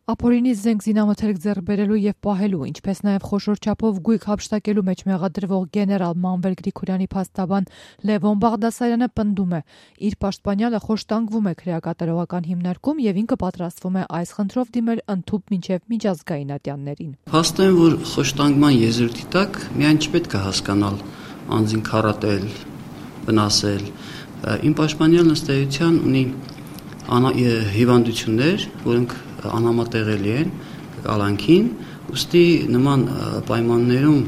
Ապօրինի զենք զինամթերք ձեռք բերելու և պահելու, ինչպես նաև խոշոր չափով գույք հափշտակելու մեջ մեղադրվող գեներալ Մանվել Գրիգորյանի փաստաբան Լևոն Բաղդասարյանը պնդում է, իր պաշտպանյալը խոշտանգվում է քրեակատարողական հիմնարկում և ինքը պատրաստվում է այս խնդրով դիմել ընդհուպ մինչև միջազգային ատյաններին։ Փաստորեն, որ խոշտանգման եզրույթի տակ միայն չպետք է հասկանալ անձին քարատել, վնասել։ Իմ պաշտպանյալն ըստ էության ունի հիվանդություններ, որոնք անհամատեղելի են կալանքին, ուստի նման պայմաններում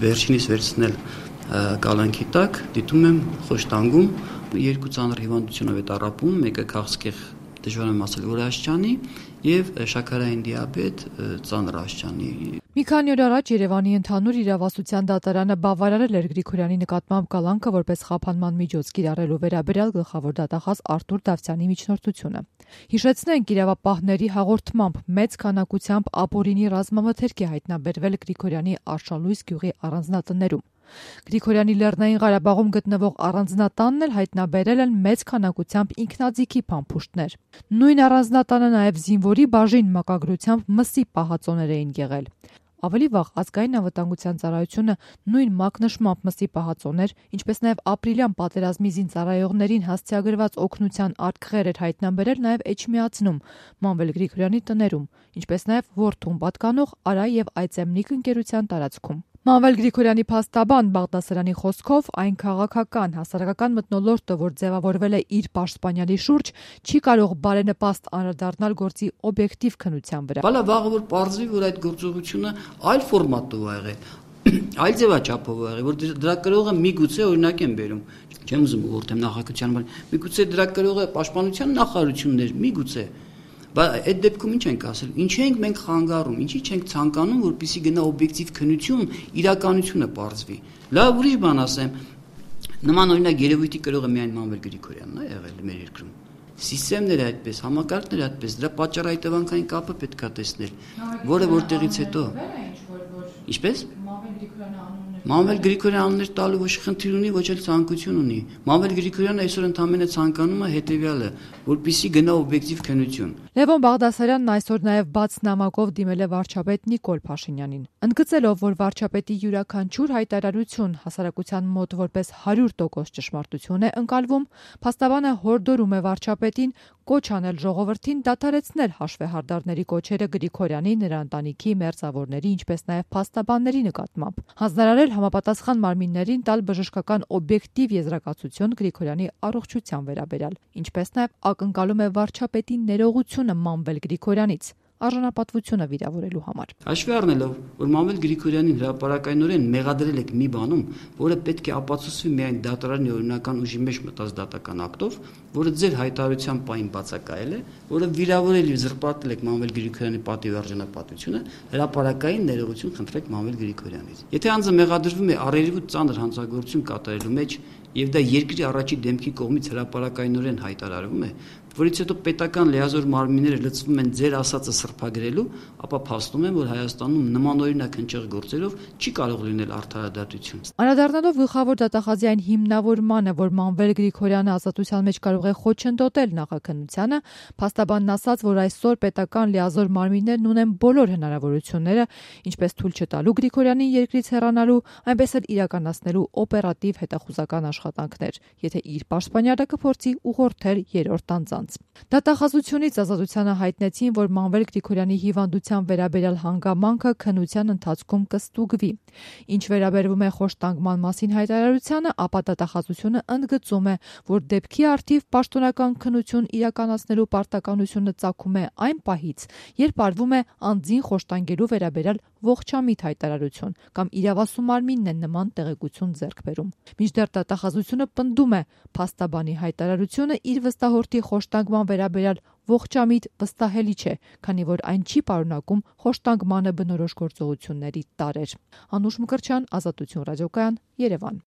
վերջինիս վերցնել կալանքի տակ դիտում եմ խոշտանգում, երկու ծանր հիվանդությունով է տառապում, մեկը քաղցկեղ դժվար եմ ասել, որ աշխանի և շաքարային դիաբետ ծանր աշխանի։ Մի քանի օր առաջ Երևանի ընդհանուր իրավասության դատարանը բավարարել էր Գրիգորյանի նկատմամբ կալանքը որպես խափանման միջոց կիրառելու վերաբերյալ գլխավոր դատախազ Արտուր Դավթյանի միջնորդությունը։ Հիշեցնենք, իրավապահների հաղորդմամբ մեծ քանակությամբ ապօրինի ռազմամթերք է հայտնաբերվել Գրիգորյանի Արշալույս գյուղի առանձնատներում։ Գրիգորյանի Լեռնային Ղարաբաղում գտնվող առանձնատանն էլ հայտնաբերել են մեծ քանակությամբ ինքնաձիգի փամփուշտներ։ Նույն առանձնատանը նաև զինվորի բաժին մակագրությամբ մսի պահածոներ էին եղել։ Ավելի վաղ Ազգային անվտանգության ծառայությունը նույն մակնշմամբ մսի պահածոներ, ինչպես նաև ապրիլյան պատերազմի զինծառայողներին հասցեագրված օգնության արկղեր էր հայտնաբերել նաև Էջմիածնում, Մանվել Գրիգորյանի տներում, ինչպես նաև Որդուն պատկանող Արա և Այծեմնիկ ընկերության տարածքում։ Մանվել Գրիգորյանի փաստաբան Բաղդասարյանի խոսքով այն քաղաքական, հասարակական մթնոլորտը, որ ձևավորվել է իր պաշտպանյալի շուրջ, չի կարող բարենպաստ անդրադառնալ գործի օբյեկտիվ քննության վրա։ Բալա վաղը որ պարզվի, որ այդ գործողությունը այլ ֆորմատով ա եղել, այլ ձևաչափով ա եղել, որ դրա կրողը միգուցե օրինակ եմ բերում, չեմ ուզում ուղղորդեմ նախագահության, բայց միգուցե դրա կրողը պաշտպանության նախարարությունն էր, միգուցե։ Բայց այդ դեպքում ինչ ենք ասել, ինչ ենք մենք խանգարում, ինչի չենք ցանկանում, որպեսզի գնա օբյեկտիվ քննություն, իրականությունը պարզվի։ Լավ, ուրիշ բան ասեմ, նման օրինակ երևույթի կրողը միայն Մանվել Գրիգորյանն է եղել մեր երկրում։ Սիստեմները այդպես, համակարգները այդպես, դրա պատճառ-հետևանքային կապը պետք է տեսնել, որը որտեղից հետո։ Ինչպես։ Մանվել Գրիգորյանը անուններ տալու ոչ խնդիր ունի, ոչ էլ ցանկություն ունի։ Մանվել Գրիգորյանը այսօր ընդամենը ցանկանում է հետևյալը, որպեսզի գնա օբյեկտիվ քննություն։ Լևոն Բաղդասարյանն այսօր նաև բաց նամակով դիմել է վարչապետ Նիկոլ Փաշինյանին, ընդգծելով, որ վարչապետի յուրաքանչյուր հայտարարություն հասարակության մոտ որպես 100% ճշմարտություն է ընկալվում, փաստաբանը հորդորում է վարչապետին կոչ անել ժողովրդին դադարեցնել հաշվեհարդարների կոչերը Գրիգորյանի, նրա ընտանիքի, մերձավորների, ինչպես նաև փաստաբանների նկատմամբ, հանձնարարել համապատասխան մարմիններին տալ բժշկական օբյեկտիվ եզրակացություն Գրիգորյանի առողջության վերաբերյալ, ինչպես նաև ակնկալում է վարչապետի ներողությունը Մանվել Գրիգորյանից արժանապատվությունը վիրավորելու համար։ Հաշվի առնելով, որ Մանվել Գրիգորյանին հրապարակայնորեն մեղադրել եք մի բանում, որը պետք է ապացուցվի միայն դատարանի օրինական ուժի մեջ մտած դատական ակտով, որը ձեր հայտարարության պահին բացակայել է, որը վիրավորել եւ զրպարտել եք Մանվել Գրիգորյանի պատիվ արժանապատվությունը, հրապարակային ներողություն խնդրեք Մանվել Գրիգորյանից։ Եթե անձը մեղադրվում է առերևույթ ծանր հանցագործություն կատարելու մեջ եւ դա երկրի առաջի դեմքի կողմից հրապարակայնորեն հայտարարվում է, որից հետո պետական լիազոր մարմինները լծվում են ձեր ասածը սրբագրելու, ապա փաստում եմ, որ Հայաստանում նմանօրինակ հնչեղ գործերով չի կարող լինել արդարադատություն։ Անդրադառնալով գլխավոր դատախազի այն հիմնավորմանը, որ Մանվել Գրիգորյանը ազատության մեջ կարող է խոչընդոտել նախաքննությանը, փաստաբանն ասաց, որ այսօր պետական լիազոր մարմիններն ունեն բոլոր հնարավորությունները, ինչպես թույլ չտալու Գրիգորյանին երկրից հեռանալու, այնպես էլ իրականացնելու օպերատիվ հետախուզական աշխատանքներ, եթե իր պաշտպանյալը կփորձի ուղղորդել երրորդ անձանց։ Դատախազությունից ազատությանը հայտնեցին, որ Մանվել Գրիգորյանի հիվանդության վերաբերյալ հանգամանքը քննության ընթացքում կստուգվի։ Ինչ վերաբերվում է խոշտանգման մասին հայտարարությանը, ապա դատախազությունը ընդգծում է, որ դեպքի առթիվ պաշտոնական քննություն իրականացնելու պարտականությունը ծագում է այն պահից, երբ արվում է անձին խոշտանգելու վերաբերյալ ողջամիտ հայտարարություն կամ իրավասու մարմինն է նման տեղեկություն ձեռք բերում։ Մինչդեռ դատախազությունը պնդում է, փաստաբանի հայտարարությունը իր վստահորդի խոշտանգման վերաբերյալ ողջամիտ վստահելի չէ, քանի որ այն չի պարունակում խոշտանգմանը բնորոշ գործողությունների տարրեր։ Անուշ Մկրտչյան, Ազատություն ռադիոկայան, Երևան։